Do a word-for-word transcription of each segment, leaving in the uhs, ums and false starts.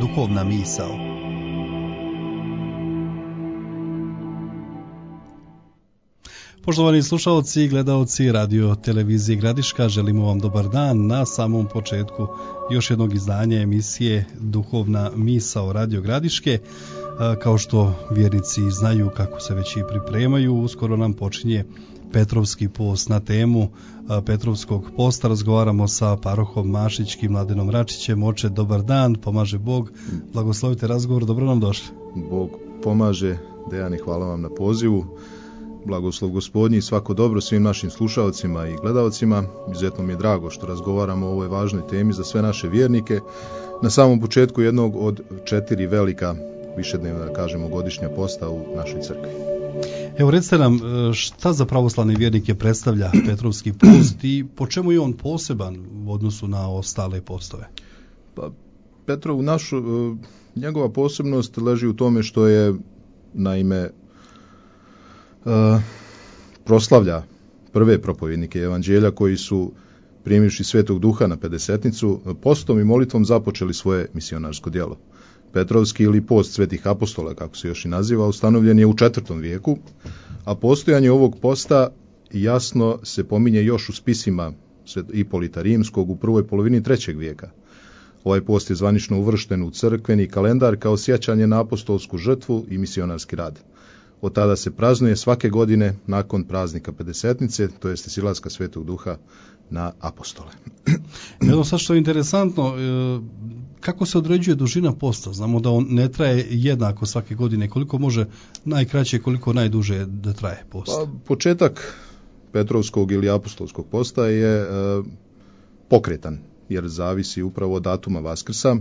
duhovna misao. Poštovani slušalci i gledaoci radio televizije Gradiška, želimo vam dobar dan na samom početku još jednog izdanja emisije Duhovna misao Radio Gradiške. Kao što vjernici znaju, kako se već i pripremaju, uskoro nam počinje Petrovski post. Na temu Petrovskog posta razgovaramo sa parohom Mašićkim Mladenom Račićem. Oče, dobar dan, pomaže Bog, blagoslovite razgovor, dobro nam došli. Bog pomaže, Dejane, hvala vam na pozivu. Blagoslov Gospodnji i svako dobro svim našim slušalcima i gledalcima. Izuzetno mi je drago što razgovaramo o ovoj važnoj temi za sve naše vjernike na samom početku jednog od četiri velika višednevna, da kažemo, godišnja posta u našoj crkvi. Evo, recite nam, šta za pravoslavne vjernike predstavlja Petrovski post i po čemu je on poseban u odnosu na ostale postove? Pa, Petrov, našu, njegova posebnost leži u tome što je, naime, Uh, proslavlja prve propovjednike evanđelja koji su, primivši Svetog Duha na pedesetnicu, postom i molitvom započeli svoje misionarsko djelo. Petrovski ili post svetih apostola, kako se još i naziva, ustanovljen je u četvrtom vijeku, a postojanje ovog posta jasno se pominje još u spisima Ipolita Rimskog u prvoj polovini trećeg vijeka. Ovaj post je zvanično uvršten u crkveni kalendar kao sjećanje na apostolsku žrtvu i misionarski rad. Od tada se praznuje svake godine nakon praznika pedesetnice, to jeste silaska Svetog Duha na apostole. Evo sad što je interesantno, kako se određuje dužina posta? Znamo da on ne traje jednako svake godine. Koliko može najkraće, koliko najduže da traje post? Pa, početak Petrovskog ili apostolskog posta je e, pokretan, jer zavisi upravo od datuma Vaskrsa.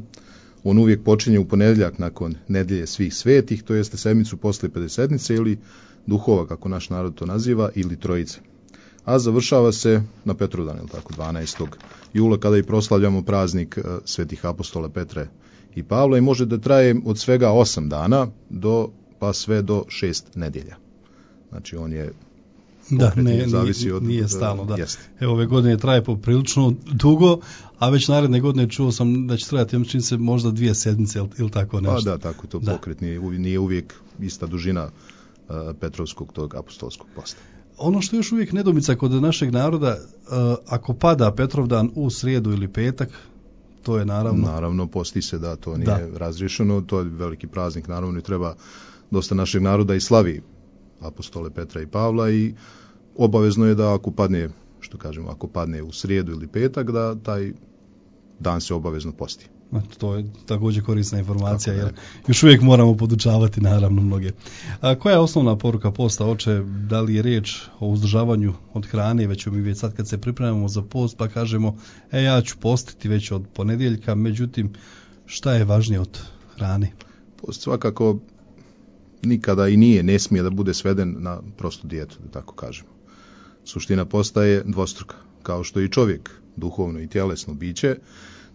On uvijek počinje u ponedjeljak nakon nedjelje svih svetih, to jeste sedmicu poslije pedesetnice ili duhova, kako naš narod to naziva, ili trojice. A završava se na Petrovdan, ili tako, dvanaestog jula, kada i proslavljamo praznik svetih apostola Petre i Pavla i može da traje od svega osam dana do, pa sve do šest nedjelja. Znači on je Da, ne, zavisi nije, od, nije stalno, da. Jest. Evo, ove godine traje poprilično dugo, a već naredne godine čuo sam da će trajati, čini se, možda dvije sedmice ili, ili tako nešto. Pa da, tako to pokret, nije, nije uvijek ista dužina uh, Petrovskog tog apostolskog posta. Ono što je još uvijek nedomica kod našeg naroda, uh, ako pada Petrovdan u srijedu ili petak, to je naravno... Naravno, posti se, da, to nije da. razriješeno, to je veliki praznik, naravno, i treba dosta našeg naroda i slavi apostole Petra i Pavla i obavezno je da ako padne, što kažemo, ako padne u srijedu ili petak, da taj dan se obavezno posti. To je također korisna informacija, jer još uvijek moramo podučavati, naravno, mnoge. A koja je osnovna poruka posta, oče? Da li je riječ o uzdržavanju od hrane, već mi već sad kad se pripremamo za post, pa kažemo, e, ja ću postiti već od ponedjeljka, međutim, šta je važnije od hrane? Post svakako nikada i nije, ne smije da bude sveden na prostu dijetu, da tako kažemo. Suština posta je dvostruka. Kao što je i čovjek duhovno i tjelesno biće,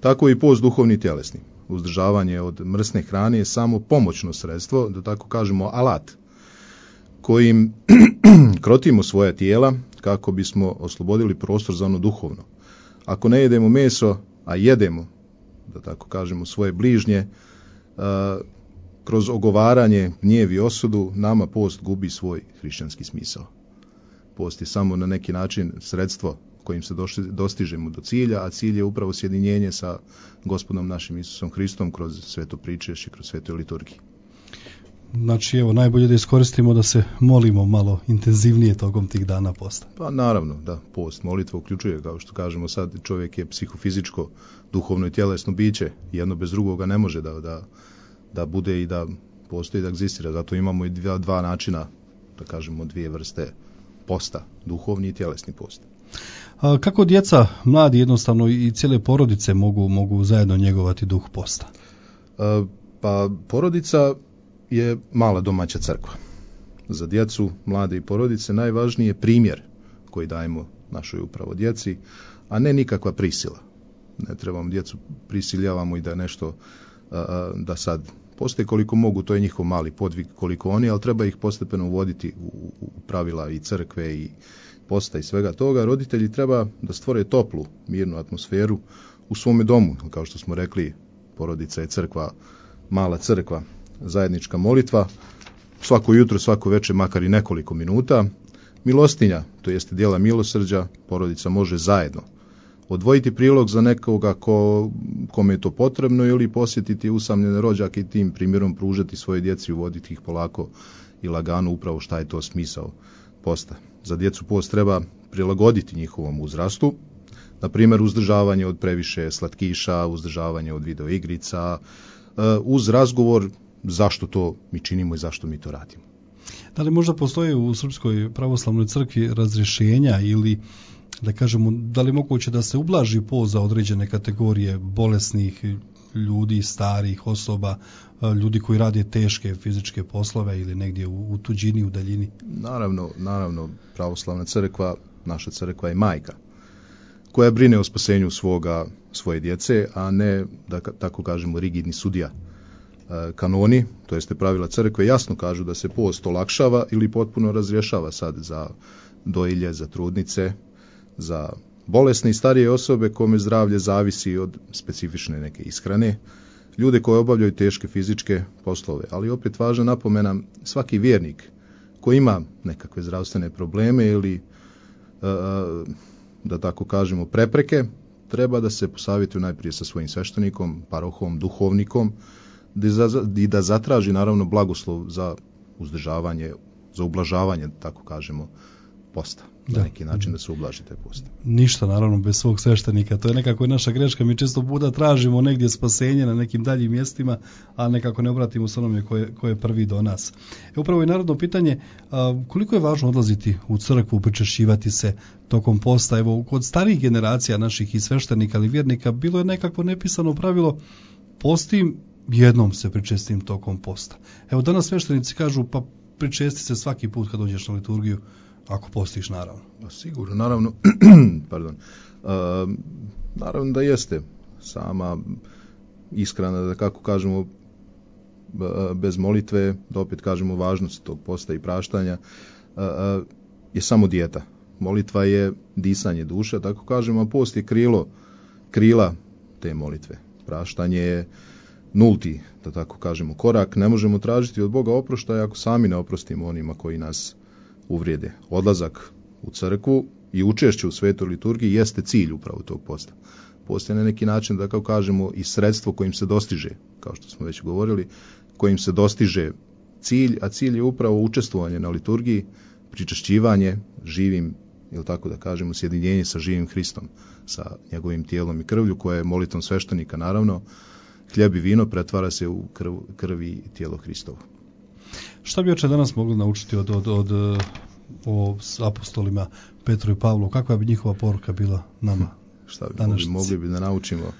tako i post duhovni i tjelesni. Uzdržavanje od mrsne hrane je samo pomoćno sredstvo, da tako kažemo alat, kojim krotimo svoja tijela kako bismo oslobodili prostor za ono duhovno. Ako ne jedemo meso, a jedemo, da tako kažemo, svoje bližnje, a, kroz ogovaranje, gnjev i osudu, nama post gubi svoj hrišćanski smisao. Post je samo na neki način sredstvo kojim se dostižemo do cilja, a cilj je upravo sjedinjenje sa Gospodom našim Isusom Hristom kroz sveto pričešće, kroz svetoj liturgiji. Znači, evo, najbolje da iskoristimo da se molimo malo intenzivnije tokom tih dana posta. Pa naravno, da, post, molitva uključuje, kao što kažemo sad, čovjek je psihofizičko, duhovno i tjelesno biće, jedno bez drugoga ne može da, da, da bude i da postoji, da egzistira, zato imamo i dva, dva načina, da kažemo, dvije vrste posta, duhovni i tjelesni post. A kako djeca, mladi jednostavno i cijele porodice mogu, mogu zajedno njegovati duh posta? A, pa porodica je mala domaća crkva. Za djecu, mlade i porodice najvažniji je primjer koji dajemo našoj upravo djeci, a ne nikakva prisila. Ne trebamo djecu prisiljavamo i da nešto, a, da sad postoji koliko mogu, to je njihov mali podvig koliko oni, ali treba ih postepeno uvoditi u, u pravila i crkve i posta i svega toga. Roditelji treba da stvore toplu, mirnu atmosferu u svome domu, kao što smo rekli, porodica je crkva, mala crkva, zajednička molitva, svako jutro, svako večer, makar i nekoliko minuta. Milostinja, to jeste djela milosrđa, porodica može zajedno odvojiti prilog za nekoga ko, kome je to potrebno ili posjetiti usamljene rođake i tim primjerom pružati svoje djeci, uvoditi ih polako i lagano upravo šta je to smisao posta. Za djecu post treba prilagoditi njihovom uzrastu, na primjer uzdržavanje od previše slatkiša, uzdržavanje od videoigrica, uz razgovor zašto to mi činimo i zašto mi to radimo. Da li možda postoji u Srpskoj pravoslavnoj crkvi razrješenja ili da kažemo, da li moguće da se ublaži post za određene kategorije bolesnih ljudi, starih osoba, ljudi koji rade teške fizičke poslove ili negdje u, u tuđini, u daljini? Naravno, naravno, pravoslavna crkva, naša crkva je majka koja brine o spasenju svoga, svoje djece, a ne, da tako kažemo, rigidni sudija. Kanoni, to jeste pravila crkve, jasno kažu da se post olakšava ili potpuno razrješava sad za dojilje, za trudnice, za bolesne i starije osobe kome zdravlje zavisi od specifične neke ishrane, ljude koji obavljaju teške fizičke poslove. Ali opet važna napomena, svaki vjernik koji ima nekakve zdravstvene probleme ili, da tako kažemo, prepreke, treba da se posavjetuje najprije sa svojim sveštenikom, parohom, duhovnikom, i da zatraži naravno blagoslov za uzdržavanje, za ublažavanje, tako kažemo, posta. Na da. neki način da se ublaži taj post. Ništa naravno bez svog sveštenika, to je nekako naša greška, mi često puta tražimo negdje spasenje na nekim daljim mjestima, a nekako ne obratimo se onome koje, koje je prvi do nas. E, upravo je narodno pitanje, a, koliko je važno odlaziti u crkvu, pričešćivati se tokom posta. Evo, kod starijih generacija naših i sveštenika ali vjernika bilo je nekako nepisano pravilo, postim, jednom se pričestim tokom posta. Evo, danas sveštenici kažu, pa pričesti se svaki put kad dođeš na liturgiju, ako postiš, naravno. Sigurno, naravno, pardon, uh, naravno da jeste sama iskrena, da kako kažemo, bez molitve, da opet kažemo važnost tog posta i praštanja, uh, uh, je samo dijeta. Molitva je disanje duše, tako kažemo, a post je krilo, krila te molitve. Praštanje je nulti, da tako kažemo, korak. Ne možemo tražiti od Boga oproštaja ako sami ne oprostimo onima koji nas uvrijede. Odlazak u crkvu i učešće u svetoj liturgiji jeste cilj upravo tog posta. Post je na neki način, da kao kažemo, i sredstvo kojim se dostiže, kao što smo već govorili, kojim se dostiže cilj, a cilj je upravo učestvovanje na liturgiji, pričešćivanje živim, ili tako da kažemo, sjedinjenje sa živim Hristom, sa njegovim tijelom i krvlju, koje je molitvom sveštenika, naravno, hljeb i vino pretvara se u krv, krvi i tijelo Hristovo. Šta bi oče danas mogli naučiti od, od, od, o apostolima Petru i Pavlu? Kakva bi njihova poruka bila nama? Šta bi mogli, mogli bi da naučimo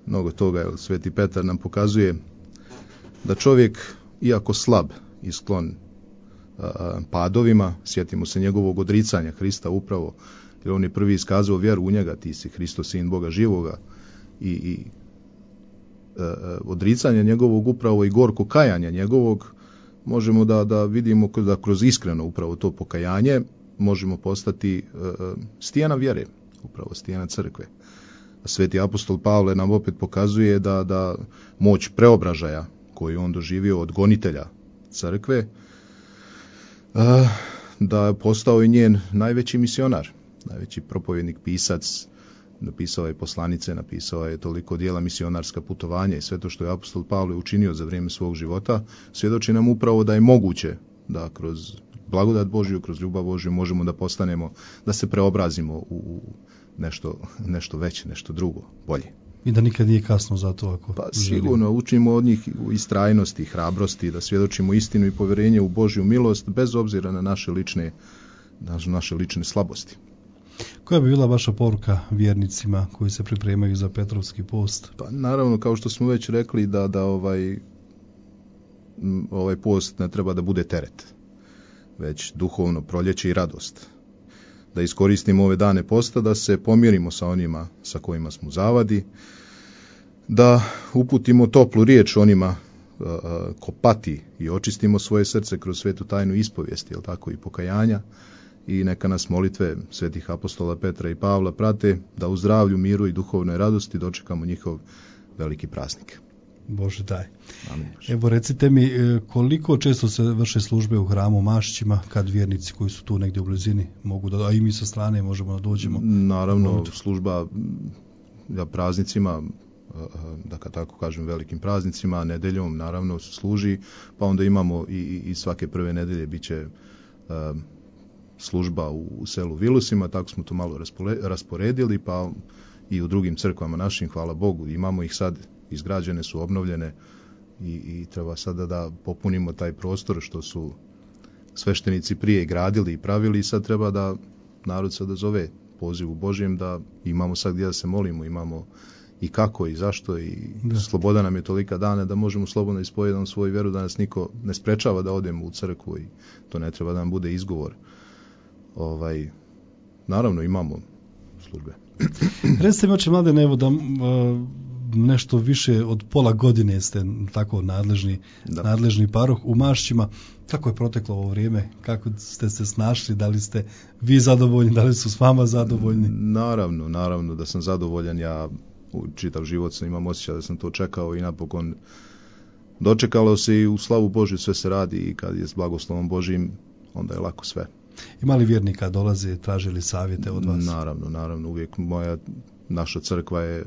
mnogo toga, jer Sveti Petar nam pokazuje da čovjek, iako slab i sklon a, padovima, sjetimo se njegovog odricanja Hrista upravo, jer on je prvi iskazao vjeru u njega, ti si Hristo, sin Boga živoga, i, i a, odricanje njegovog upravo i gorko kajanja njegovog, možemo da, da vidimo da kroz iskreno upravo to pokajanje možemo postati uh, stijena vjere, upravo stijena crkve. Sveti apostol Pavle nam opet pokazuje da, da moć preobražaja koju on doživio od gonitelja crkve, uh, da je postao i njen najveći misionar, najveći propovjednik, pisac, napisao je poslanice, napisao je toliko dijela, misionarska putovanja i sve to što je apostol Pavle učinio za vrijeme svog života, svjedoči nam upravo da je moguće da kroz blagodat Božju, kroz ljubav Božju možemo da postanemo, da se preobrazimo u nešto, nešto veće, nešto drugo, bolje. I da nikad nije kasno za to ako Pa sigurno, učimo od njih u istrajnosti, hrabrosti, da svjedočimo istinu i povjerenje u Božju milost, bez obzira na naše lične, na naše lične slabosti. Koja bi bila vaša poruka vjernicima koji se pripremaju za Petrovski post? Pa naravno, kao što smo već rekli, da, da ovaj, ovaj post ne treba da bude teret, već duhovno proljeće i radost. Da iskoristimo ove dane posta, da se pomirimo sa onima sa kojima smo zavadi, da uputimo toplu riječ onima uh, ko pati i očistimo svoje srce kroz svetu tajnu ispovijesti, jel tako, i pokajanja, i neka nas molitve svetih apostola Petra i Pavla prate, da u zdravlju, miru i duhovnoj radosti dočekamo njihov veliki praznik. Bože daj. Amin. Evo recite mi, koliko često se vrše službe u hramu Mašićima kad vjernici koji su tu negdje u blizini mogu da, a i mi sa strane možemo da dođemo? Naravno, služba ja, praznicima, da kad tako kažem velikim praznicima, nedeljom naravno služi, pa onda imamo i, i svake prve nedelje bit će uh, služba u, u selu Vilusima, tako smo to malo raspole, rasporedili, pa i u drugim crkvama našim, hvala Bogu, imamo ih sad, izgrađene su, obnovljene i, i treba sada da popunimo taj prostor što su sveštenici prije gradili i pravili i sad treba da narod sada zove pozivu Božjem da imamo sad gdje da se molimo, imamo i kako i zašto i da. Sloboda nam je tolika dana da možemo slobodno ispovedati svoju vjeru, da nas niko ne sprečava da odemo u crkvu i to ne treba da nam bude izgovor. Ovaj, naravno imamo službe. Recite mi, oče Mladene, evo da uh, nešto više od pola godine ste tako nadležni, nadležni paroh u Mašićima. Kako je proteklo ovo vrijeme? Kako ste se snašli? Da li ste vi zadovoljni? Da li su s vama zadovoljni? Naravno, naravno da sam zadovoljan. Ja u čitav život sam imam osjećaj da sam to čekao i napokon dočekalo se i u slavu Božju sve se radi i kad je s blagoslovom Božjim onda je lako sve. Ima li vjernika dolaze, tražili savjete od vas? Naravno, naravno. Uvijek moja, naša crkva je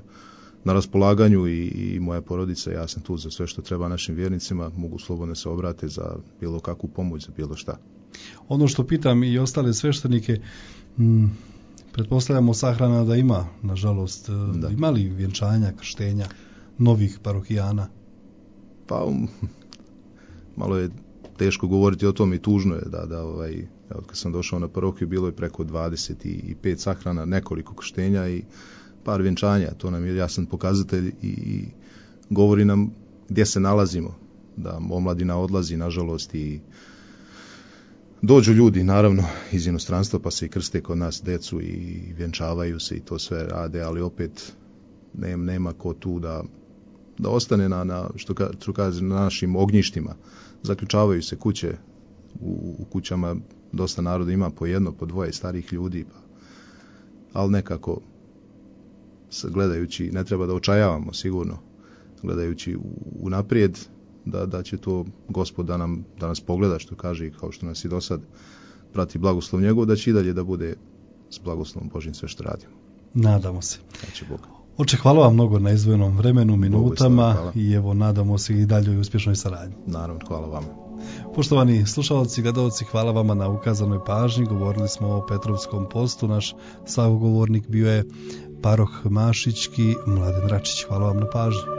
na raspolaganju i, i moja porodica, ja sam tu za sve što treba našim vjernicima, mogu slobodno se obrate za bilo kakvu pomoć, za bilo šta. Ono što pitam i ostale sveštenike, m, pretpostavljamo sahrana da ima, nažalost, da. Ima li vjenčanja, krštenja novih parohijana? Pa, um, malo je teško govoriti o tom i tužno je da, da ovaj, od kad sam došao na parohiju bilo je preko dvadeset pet sahrana, nekoliko krštenja i par vjenčanja, to nam je jasan pokazatelj i, i govori nam gdje se nalazimo, da omladina odlazi, nažalost, i dođu ljudi, naravno, iz inostranstva, pa se i krste kod nas decu i vjenčavaju se i to sve rade, ali opet nema, nema ko tu da, da ostane na, na, što ću kazi, na našim ognjištima. Zaključavaju se kuće, u, u kućama dosta naroda ima po jedno, po dvoje starih ljudi, pa, ali nekako gledajući, ne treba da očajavamo sigurno, gledajući u naprijed da, da će to Gospod da, nam, da nas pogleda, što kaže i kao što nas i do sad prati blagoslov njegov, da će i dalje da bude s blagoslovom Božjim sve što radimo. Nadamo se. Znači Bog. Oče, hvala vam mnogo na izdvojenom vremenu, minutama i evo nadamo se i dalje u uspješnoj saradnji. Naravno, hvala vama. Poštovani slušalci, gledalci, hvala vama na ukazanoj pažnji. Govorili smo o Petrovskom postu. Naš sagovornik bio je paroh Mašićki Mladen Račić. Hvala vam na pažnji.